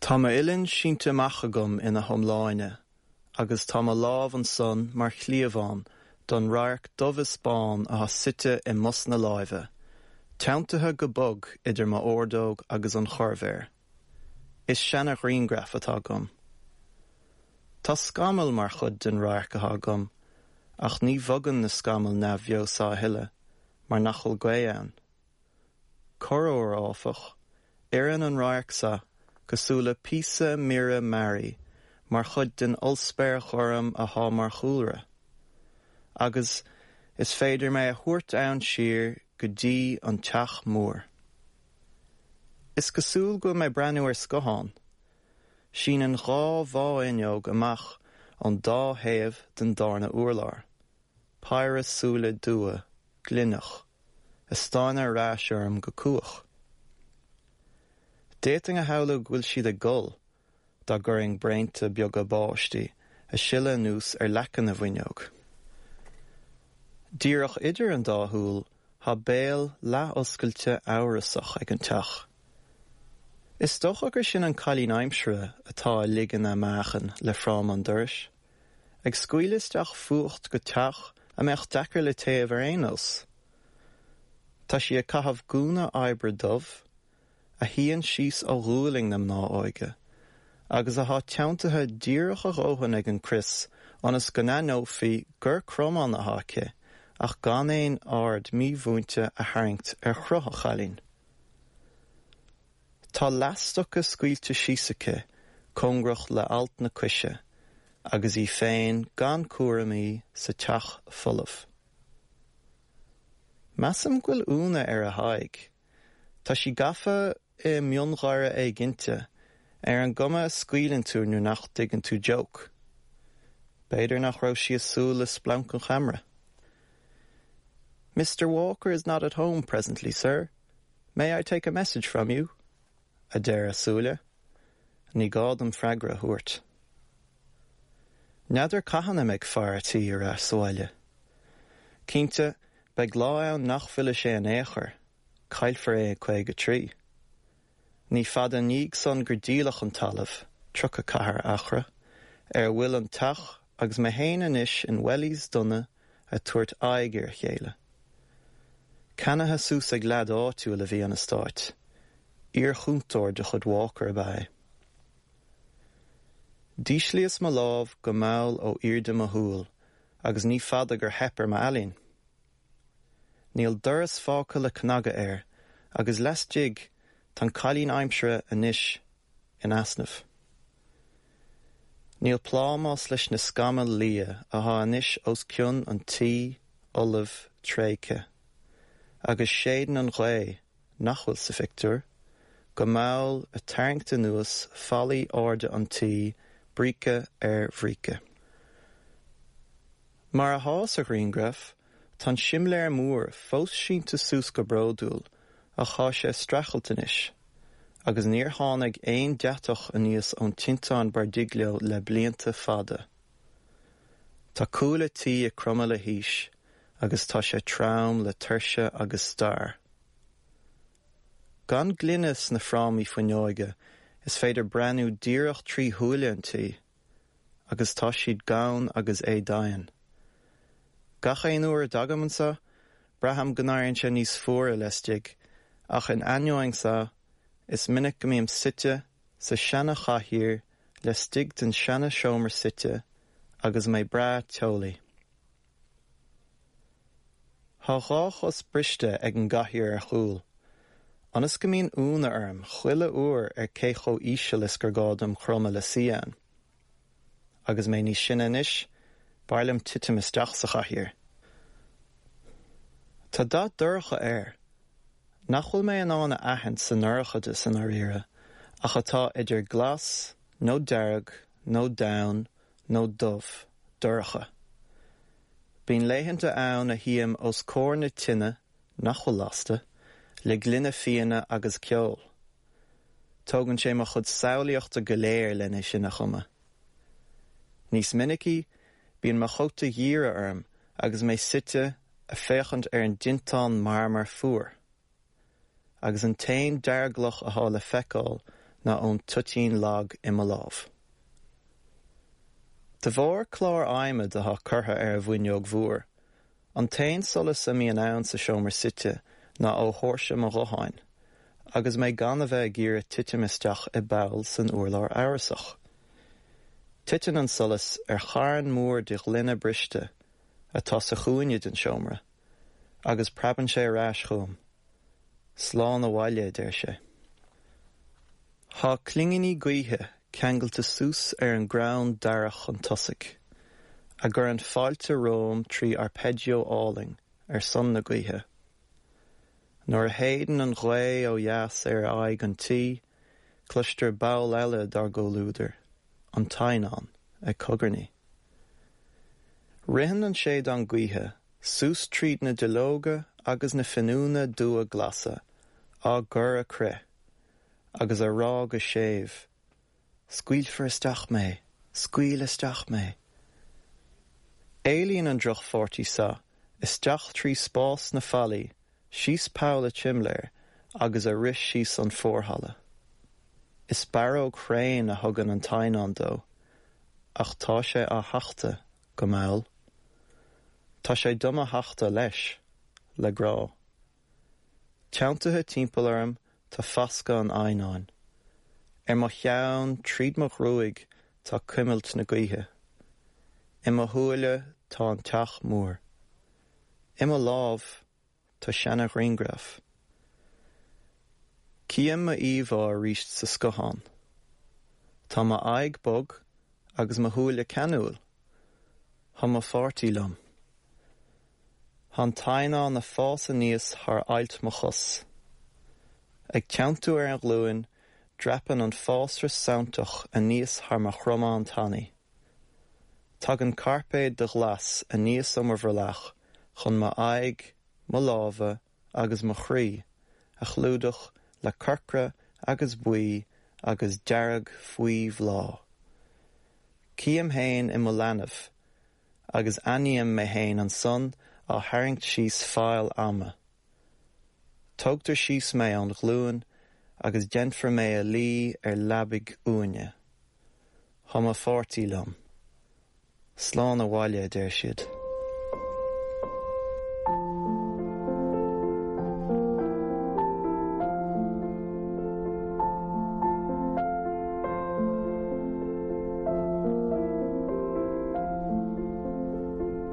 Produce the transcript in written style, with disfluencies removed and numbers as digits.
Tá m'uillinn sínte amach agam ina hiomláine agus tá mo lámh ansan mar chliabhán don radharc dubh is bán athá suite i mbos na láimhe, teanntaithe go bog idir m'ordóg agus an chorrmhéar. Is seana-ghrianghraf atá agam. Tá scamaill mar chuid den radharc athá agam, ach ní bhogann na scamaill neamhbheo so a thuilleadh mar nach bhfuil gaoth ann. Corruair, áfach, oireann an radharc so cosúil le píosa mire mearaí mar chuid den ollspéir ghorm athá mar chúlra, agus is féidir mé a thabhairt ann siar go dtí an teach mór. Is cosúil go bhfuil mé breathnú ar scothán. Síneann dhá bhá-fhuinneog amach ón dá thaobh den dárna urlár, péire súile dubha, glinneach. a stánadh ar ais orm go cumhach. D'fhéadfainn a shamhlú go bhfuil siad ag gol, dá gcuirfinn braonta beaga báistí a sileadh anuas ar leaca na bhfuinneog. Díreach idir an dá shúil thá béal leath-oscailte amhrasach ag an teach. Is dócha gur sin an cailín aimsire atá a ligean a meáchain le fráma an dorais. Ag scaoileadh isteach fuacht go teach a mbeadh deacair le téamh ar aon nós. Tá sí ag caitheamh gúna oibre dubh, a shuíonn síos ó ghualainn na mná óige, agus athá teanntaithe díreach a dhóthain ag an crios ionas go n-aithneofaí gur cromán athá aici ach gan aon aird mímhúinte a tharraingt ar chruth an chailín. Tá leathstoca scaoilte síos aici cóngarach le alt na coise agus í féin gan cúramaí sa teach folamh. Measaim go bhfuil ionadh ar a haghaidh. Tá sí gafa i miongháire éiginnte, ar an gcuma a scaoileann tú nuair nach dtuigeann tú joke. B'fhéidir nach raibh sí ag súil le splanc an cheamara. Mister Walker is not at home presently, sir. May I take a message from you? a deir a súile. Ní gá dom freagra a thabhairt. N'fheadar cathain a mbeidh fear a' tí ar ais sa bhaile. Cinnte, beidh lá ann nach bhfillfidh sé in aon chor, caillfear é ag 53. Ní fada i ndiaidh san gur díoladh an talamh, 34 acra, ar a bhfuil an teach agus mé fhéin anois in wellies donna a' tabhairt aghaidh ar a chéile. Ceannaithe suas ag leaid áitiúil a bhí an eastáit. Iar-chúntóir de chuid Walker ab ea é. D'íslíos mo lámh go mall ó airde mo shúl agus ní fada gur theip ar m'ealaín. Níl doras fágtha le cnagadh air agus laistigh tá an cailín aimsire anois in easnamh. Níl plámás leis na scamaill liath athá anois os cionn an tí fholaimh tréigthe, agus séideann an ghaoth, nach bhfuil sa phictiúr, go mall a tarraingt anuas fallaí airde an tí, bríce ar bhríce. Mar athá sa ghrianghraf, tá an simléar mór fós sínte suas go bródúil ach thá sé a streachailt anois, agus níor tháinig aon deatach aníos ón tinteán Bardiglio le blianta fada. Tá cúl a' tí ag cromadh le haois agus tá sé trom le tuirse agus stair. Gan gloine sna frámaí fuinneoige is féidir breathnú díreach trí shúile an tí. agus tá siad gann agus éadomhain. Gach aon uair a dtagaim anso, braithim go n-éiríonn sé níos fuaire laistigh, ach in ainneoin so, is minic go mbím suite sa seana-chathaoir laistigh den seana-seomra suite agus mé breá teolaí. Thá dhá chos briste ag an gcathaoir ar chúl, ionas go mbíonn ionadh orm chuile uair ar cé chomh íseal is gur gá dom cromadh le suí ann. Agus mé níos sine anois, b'fhearr liom titim isteach sa chathaoir. Tá dath dorcha air, nach bhfuil mé in ann a aithint sa ndorchadas i ndáiríre, ach atá idir glas nó dearg nó donn nó dubh, dorcha. Bíonn laethanta ann a shuím os comhair na tine, nach bhfuil lasta, le gloine fíona agus ceol. Tógann sé mo chuid samhlaíochta go léir len é sin a chumadh. Níos minicí, bíonn mo chóta giorra orm agus mé suite a féachaint ar an dtinteán marmair fuar. Agus an t-aon dearglaoch athá le feiceáil ná ón toitín lag i mo lámh. De bharr clár adhmaid atá curtha ar an bhfuinneog mhór, an t-aon solas a mbíonn ann sa seomra suite ná ó thóirse mo ghutháin, agus mé gan a bheith ag iarraidh titim isteach i bpoll san urlár amhrasach. Titeann an solas ar charn mór de ghloine briste atá sa chúinne den seomra, agus preabann sé ar ais chugam. Slán abhaile, a deir sé. Tá clingíní gaoithe ceangailte suas ar an gcrann darach chun tosaigh, a gcuireann fáilte romham trí arpeggio álainn ar son na gaoithe. Nuair a shéideann an ghaoth ó dheas ar aghaidh an tí, cloistear ball eile dár gcomhluadar, an t-eidhneán, ag cogarnaigh. Ritheann an séideán gaoithe suas tríd na duilleoga agus na finiúna dubha glasa á gcur a crith, agus á rá go séimh, Scaoilfear isteach mé! Scaoil isteach mé! Éalaíonn an drochpháirtí seo isteach trí spás na fallaí, síos poll a tsimléir agus a rith síos an forhalla. Is barróg thréan a thugann an t-eidhneán dó, ach tá sé á thachtadh go mall. Tá sé do mo thachtadh leis, le grá. Teanntaithe timpeall orm tá fascadh an eidhneáin. Ar mo cheann, tríd mo ghruaig, tá cuimilt na gaoithe. I mo shúile tá an teach mór. I mo lámh tá seana-ghrianghraf. Cím m'íomhá arís sa scothán. Tá m'aghaidh bog agus mo shúile ceanúil. Tá mo pháirtí liom. Tá an t-eidhneán ag fás aníos thar ailt mo chos. Ag teanntú ar an ghlúin, dreapann an fásra santach aníos thar mo chromán tanaí. Tagann cairpéad de ghlas aníos ó mo bhrollach chun m'aghaidh, mo lámha agus mo chroí a chlúdach le corcra agus buí agus dearg faoi bhláth. Cím féin i mo leanbh agus aithním mé féin ansan á tharraingt síos faill ama. Tógtar síos mé ón ghlúin agus déanfar mé a luí ar leabaidh uaine. Tá mo pháirtí liom. Slán abhaile, a deir siad.